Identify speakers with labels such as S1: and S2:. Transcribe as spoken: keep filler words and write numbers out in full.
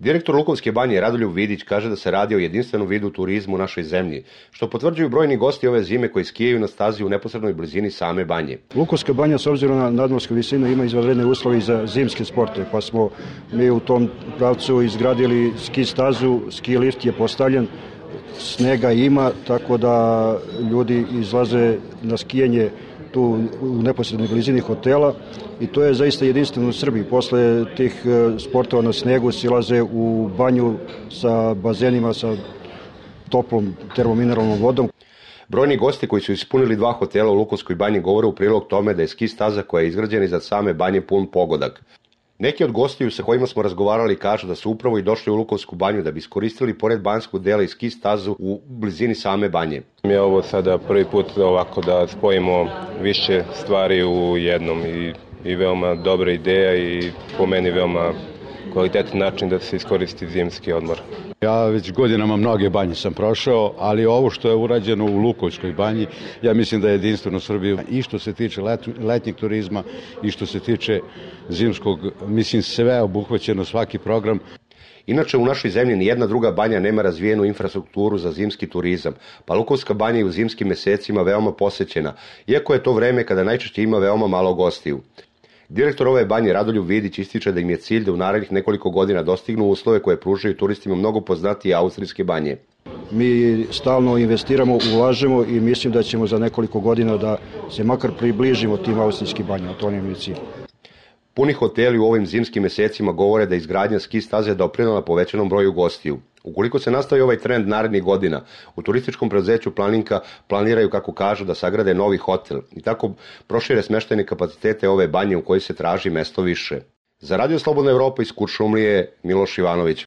S1: Direktor Lukovske banje Radoljub Vidić kaže da se radi o jedinstvenom vidu turizmu u našoj zemlji, što potvrđuju brojni gosti ove zime koji skijaju na stazi u neposrednoj blizini same banje.
S2: Lukovska banja s obzirom na nadmorsku visinu ima izvanredne uslove za zimske sportove, pa smo mi u tom pravcu izgradili ski stazu, ski lift je postavljen, snega ima, tako da ljudi izlaze na skijanje tu u neposrednoj blizini hotela i to je zaista jedinstveno u Srbiji. Posle tih sportova na snegu silaze u banju sa bazenima, sa toplom termomineralnom vodom.
S1: Brojni gosti koji su ispunili dva hotela u Lukovskoj banji govore u prilog tome da je ski staza koja je izgrađena iza same banje pun pogodak. Neki od gostiju sa kojima smo razgovarali kažu da su upravo i došli u Lukovsku banju da bi iskoristili pored banjskog dela i ski stazu u blizini same banje.
S3: Mi je ovo sada prvi put ovako da spojimo više stvari u jednom i, i veoma dobra ideja i po meni veoma kvalitetan način da se iskoristi zimski odmor.
S4: Ja već godinama mnoge banje sam prošao, ali ovo što je urađeno u Lukovskoj banji, ja mislim da je jedinstveno Srbiji i što se tiče let, letnjeg turizma i što se tiče zimskog, mislim sve obuhvaćeno, svaki program.
S1: Inače, u našoj zemlji nijedna druga banja nema razvijenu infrastrukturu za zimski turizam, pa Lukovska banja je u zimskim mesecima veoma posećena, iako je to vreme kada najčešće ima veoma malo gostiju. Direktor ove banje Radoljub Vidić ističe da im je cilj da u narednih nekoliko godina dostignu uslove koje pružaju turistima mnogo poznatije austrijske banje.
S2: Mi stalno investiramo, ulažemo i mislim da ćemo za nekoliko godina da se makar približimo tim austrijskim banjama, to nam je cilj.
S1: Puni hoteli u ovim zimskim mesecima govore da izgradnja ski staze doprinela povećanom broju gostiju. Ukoliko se nastavi ovaj trend narednih godina, u turističkom preduzeću Planinka planiraju, kako kažu, da sagrade novi hotel i tako prošire smeštajne kapacitete ove banje u kojoj se traži mesto više. Za Radio Slobodna Evropa iz Kuršumlije, Miloš Ivanović.